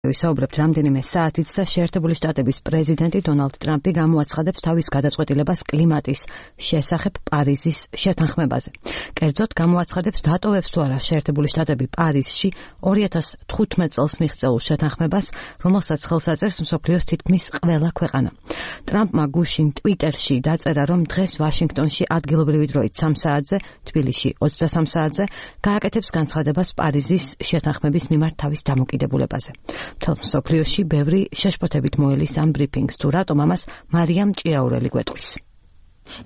ვისაუბრებთ რამდენიმე საათით და შეერთებული შტატების პრეზიდენტი დონალდ ტრამპი გამოაცხადებს თავის გადაწყვეტილებას კლიმატის შესახებ პარიზის შეთანხმებაზე. კერძოდ გამოაცხადებს დატოვებს თუ არა შეერთებული შტატები პარიზში 2015 წელს მიღწეულ შეთანხმებას, რომელსაც ხელს აწერს მსოფლიოს თითქმის ყველა ქვეყანა. ტრამპმა გუშინ ტვიტერში დაწერა, რომ დღეს ვაშინგტონში ადგილობრივი დროით 3 საათზე, თბილისში 23 საათზე გააკეთებს განცხადებას პარიზის შეთანხმების მიმართ თავის დამოკიდებულებაზე. მთელ მსოფლიოში ბევრი შეშფოთებით მოელის ამ ბრიფინგს, თუ რატომ ამას მარიამ ჭიაურელი გვეტყვის.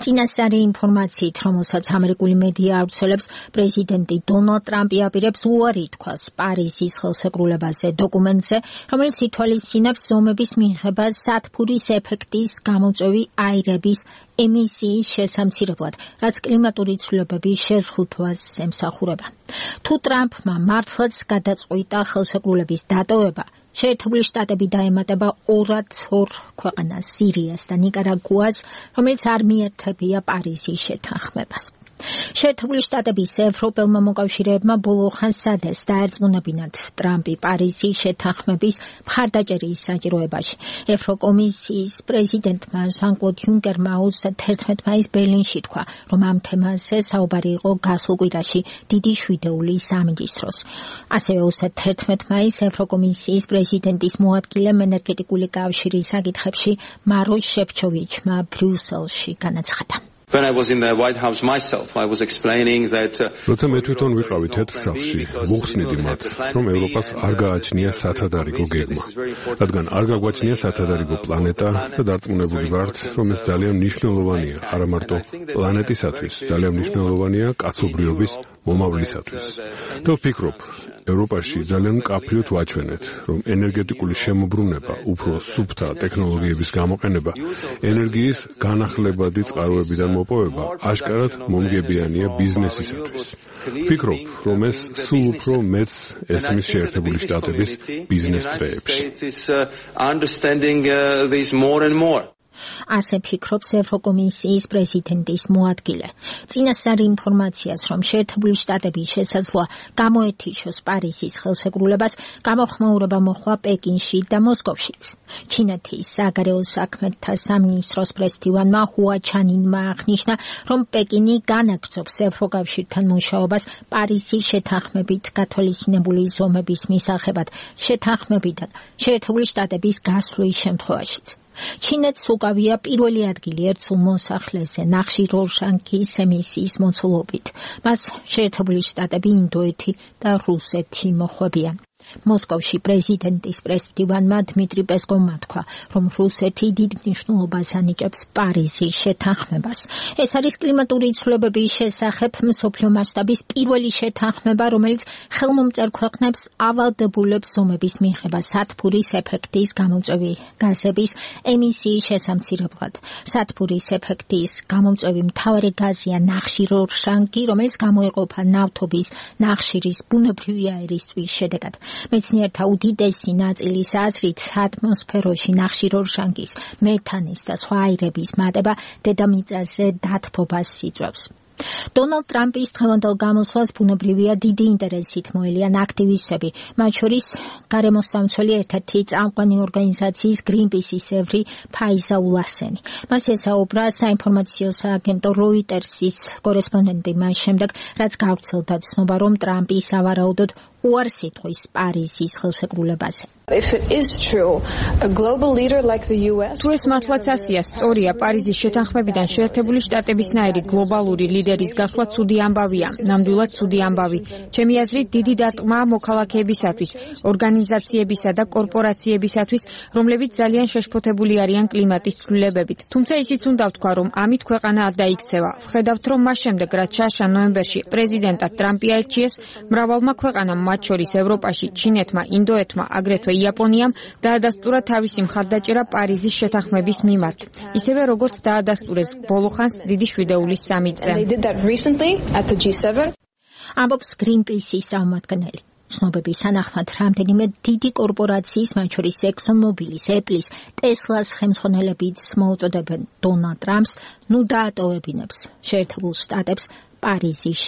წინასწარი ინფორმაციით, რომელსაც ამერიკული მედია ავრცელებს, პრეზიდენტი დონალდ ტრამპი აპირებს უარი თქვას პარიზის ხელშეკრულებაზე დოკუმენტზე, რომელიც ითვალისწინებს ზომების მიღება სათბურის ეფექტის გამოწვევი აირების ემისიის შესამცირებლად, რაც კლიმატური ცვლილებების შეზღუდვას ემსახურება. თუ ტრამპმა მართლაც გადაწყვიტა ხელშეკრულების დატოვება, შეერთებული შტატები დაემატება 2 ქვეყანას, სირიას და ნიკარაგუას, რომელიც არ მიერთებია პარიზის შეთანხმებას. შეერთებული შტატების ევროპელმა მოკავშირეებმა ბოლო ხანს სადეს დაერწმუნებინათ ტრამპი პარიზის შეთანხმების მხარდაჭერის საჭიროებაში. ევროკომისიის პრეზიდენტმა ჟან-კლოდ იუნკერმა 11 მაისს ბერლინში თქვა, რომ ამ თემაზე საუბარი იყო გასულ კვირაში დიდი შვიდეულის სამინისტროს. ასევე 11 მაისს ევროკომისიის პრეზიდენტის მოადგილემ ენერგეტიკული კავშირის საკითხებში მაროშ შეფჩოვიჩმა ბრიუსელში განაცხადა. When I was in the White House myself, I was explaining that როცა მე თვითონ ვიყავი თეთრ სახლში, ვუხსნიდი მათ, რომ ევროპას არ გააჩნია სათადარიგო გეგმა, რადგან არ გაგვაჩნია სათადარიგო პლანეტა და დარწმუნებული ვართ, რომ ეს ძალიან მნიშვნელოვანია, არა მარტო პლანეტისათვის, ძალიან მნიშვნელოვანია კაცობრიობის მომავლისათვის. და ვფიქრობ, ევროპაში ძალიან მკაფიოდ ვაჩვენეთ, რომ ენერგეტიკული შემოbrunება, უფრო სუფთა ტექნოლოგიების გამოყენება, ენერგიის განახლებადი წყაროებიდან მოპოვება აშკარად მომგებიანია ბიზნესისათვის. ვფიქრობ, რომ ეს სულ უფრო მეც ესმის შეერთებული შტატების ბიზნეს წრეებში. ასე ფიქრობს ევროკომისიის პრეზიდენტის მოადგილე. წინასწარ ინფორმაციას, რომ შეერთებული შტატები შესაძლოა გამოეთიშოს პარიზის ხელშეკრულებას, გამოხმაურება მოხდა პეკინში და მოსკოვშიც. ჩინეთის საგარეო საქმეთა სამინისტროს პრესდივანმა ჰუა ჩანინმა აღნიშნა, რომ პეკინი განაგრძობს ევროკავშირთან მუშაობას პარიზის შეთანხმებით გათვალისწინებული ზომების მისაღებად შეთანხმებიდან შეერთებული შტატების გასვლის შემთხვევაშიც. ჩინეთს უკავია პირველი ადგილი ერთსულ მოსახლეზე ნახშირორჟანგის ემისიის მოცულობით. მას შეერთებული შტატები, ინდოეთი და რუსეთი მოჰყვებიან. მოსკოვში პრეზიდენტის პრესდივანმა დმიტრი პესკოვმა თქვა, რომ რუსეთი დიდ მნიშვნელობას ანიჭებს პარიზის შეთანხმებას. ეს არის კლიმატური ცვლილებების შესახებ მსოფლიო მასშტაბის პირველი შეთანხმება, რომელიც ხელმომწერ ქვეყნებს ავალდებულებს ზომების მიღება სათბურის ეფექტის გამოწვევი გაზების ემისიის შესამცირებლად. სათბურის ეფექტის გამომწვევი მთავარი გაზია ნახშირორჟანგი, რომელიც გამოიყოფა ნავთობის, ნახშირის, ბუნებრივი აირისთვის შედეგად. მეცნიერთა უდიდესი ნაწილის აზრით, ატმოსფეროში ნახშირორჟანგის, მეთანის და სხვა აირების მატება დედამიწაზე დათბობას იწვევს. დონალდ ტრამპის დღევანდელ გამოსვლას ბუნებრივია დიდი ინტერესით მოელიან აქტივისტები, მათ შორის გარემოსამცველი ერთ-ერთი წამყვანი ორგანიზაციის გრინპისის წევრი ფაიზა ულასენი. მას ესაუბრა საინფორმაციო სააგენტო როიტერსის კორესპონდენტი მას შემდეგ, რაც გავრცელდა ცნობა, რომ ტრამპი სავარაუდოდ უარს იტყვის პარიზის ხელშეკრულებაზე. თუ ეს მართლაც ასია, სწორია, პარიზის შეთანხმებიდან შეერთებული შტატებისნაირი გლობალური ლიდერის გასვლა ცუდი ამბავია, ნამდვილად ცუდი ამბავი. ჩემი აზრით, დიდი დარტყმაა მოქალაქეებისათვის, ორგანიზაციებისა და კორპორაციებისათვის, რომლებიც ძალიან შეშფოთებული არიან კლიმატის ცვლილებებით. თუმცა ისიც უნდა ვთქვა, რომ ამით ქვეყანა არ დაიქცევა. ვხედავთ, რომ მას შემდეგ, რაც შაშა ნოემბერში პრეზიდენტად ტრამპი აირჩიეს, მრავალმა ქვეყანამ, მათ შორის ევროპაში, ჩინეთმა, ინდოეთმა, აგრეთვე იაპონიამ დაადასტურა თავისი მხარდაჭერა პარიზის შეთანხმების მიმართ. ისევე როგორც დაადასტურეს ბოლო ხანს დიდი შვიდეულის სამიტზე. ამბობს გრინპისის წარმომადგენელი. ცნობების თანახმად რამდენიმე დიდი კორპორაციის, მათ შორის ExxonMobilis, Apple's, Tesla-ს ხელმძღვანელებიც მოუწოდებენ დონალდ ტრამპს, ნუ დაატოვებინებს შეერთებულ შტატებს პარიზის